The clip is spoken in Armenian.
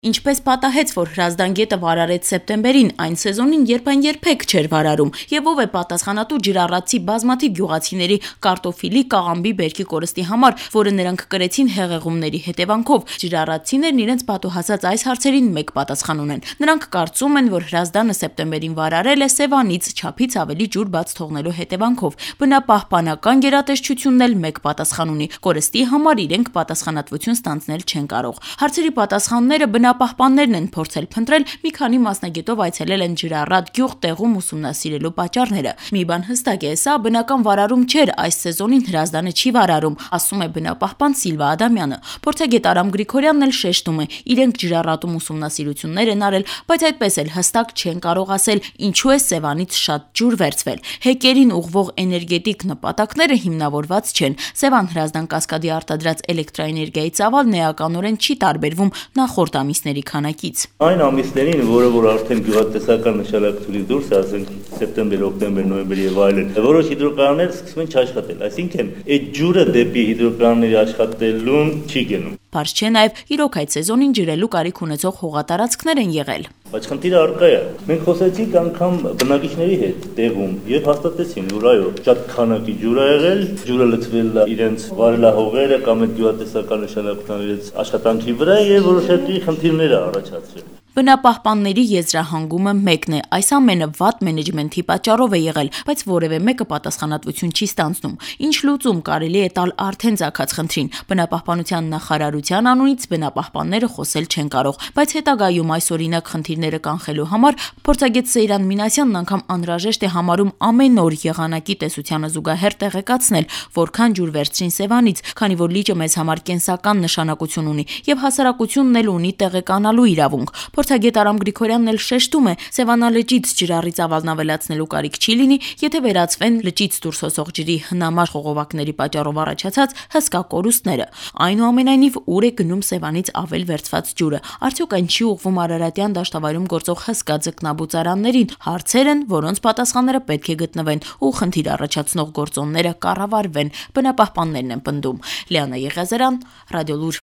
Ինչպես պատահեց, որ Հրազդան գետը վարարեց սեպտեմբերին, այն սեզոնին, երբ այն երբեք չէր վարարում, եւ ով է պատասխանատու ջրառացի բազմաթիվ գյուղացիների կարտոֆիլի, կաղամբի բերքի կորստի համար, որը նրանք կրեցին հեղեղումների հետևանքով։ Ջրառացիներն իրենց պատուհասած այս հարցերին մեկ պատասխան ունեն։ Նրանք կարծում են, որ Հրազդանը սեպտեմբերին վարարել է Սևանից չափից ավելի ջուր բաց թողնելու հետևանքով։ Բնապահպանական գերատեսչությունն էլ մեկ պատասխան ունի՝ կորստի համար իրենք պատասխանատվություն ստանձնել չեն կարող։ Հարցերի պատասխանները բնապահպաններն են փորձել փնտրել, մի քանի մասնագետով այցելել են ջրառատ գյուղ տեղում ուսումնասիրելու պատճառները։ Մի բան հստակ է, սա բնական վարարում չէր, այս սեզոնին Հրազդանը չի վարարում, ասում է բնապահպան Սիլվա Ադամյանը։ Փորձագետ Արամ Գրիգորյանն էլ շեշտում է, իրենք ջրառատում ուսումնասիրություններ են արել, բայց այդպես էլ հստակ չեն կարող ասել, ինչու է Սևանից շատ ջուր վերցվել։ Հեկերին ուղղվող էներգետիկ նպատակները հիմնավորված չեն։ Սևան-Հրազդան կասկադի արտադրած էլեկտրաէներգիայի ծավալն էականորեն չի տարբերվում նախորդ ամիսների քանակից։ Այն ամիսներին, որ արդեն գյուղատնտեսական նշանակությունից դուրս է, ասենք սեպտեմբեր, օկտեմբեր, նոյեմբեր եւ այլն, որոշ հիդրոկայաններ սկսում են չաշխատել, այսինքն այդ ջուրը դեպի հիդրոկայանների աշխատելուն չի գնում։ Պարզ չէ նաև իրոք այդ սեզոնին ջրելու կարիք ունեցող հողատարածքներ են եղել։ Բայց խնդիրը առկա է։ Մենք խոսեցինք անգամ բնակիչների հետ տեղում եւ հաստատեցին, որ այո, շատ քանակի ջուր է եղել, ջուրը լցվել է իրենց վարելահողերը կամ այդ գյուղատնտեսական նշանակության իրենց աշխատանքի վրա եւ որոշակի խնդիրներ է առաջացրել։ Բնապահպանների եզրահանգումը մեկն է, այս ամենը վատ մենեջմենթի պատճառով է եղել, բայց որևէ մեկը պատասխանատվություն չի ստանձնում։ Ինչ լուծում կարելի է տալ արդեն ծագած խնդրին։ Բնապահպանության նախարարության անունից բնապահպանները խոսել չեն կարող, բայց հետագայում այսօրինակ խնդիրները կանխելու համար փորձագետ Սեյրան Մինասյանն անգամ անհրաժեշտ է համարում ամեն օր եղանակի տեսությանը զուգահեռ տեղեկացնել, որքան ջուր վերցրին Սևանից, քանի որ լիճը մեզ համար կենսական նշանակություն ունի եւ հասարակությունն էլ ունի տեղեկանալու իրավունք։ Փորձագետ Արամ Գրիգորյանն էլ շեշտում է, Սևանալճից ջրառի ծավալն ավելացնելու կարիք չի լինի, եթե վերացվեն լճից դուրս հոսող ջրի հնամաշ խողովակների պատճառով առաջացած հսկա կորուստները։ Այնուամենայնիվ, ուր է գնում Սևանից ավել վերցված ջուրը։ Արդյոք այն չի ուղղվում Արարատյան դաշտավայրում գործող հսկա ձկնաբուծարաններին։ Հարցեր են, որոնց պատասխանները պետք է գտնվեն ու խնդիր առաջացնող գործոնները կառավարվեն։ Բնապահպաններն են պնդում։ Լիանա Եղիազարյան, Ռադիոլուր։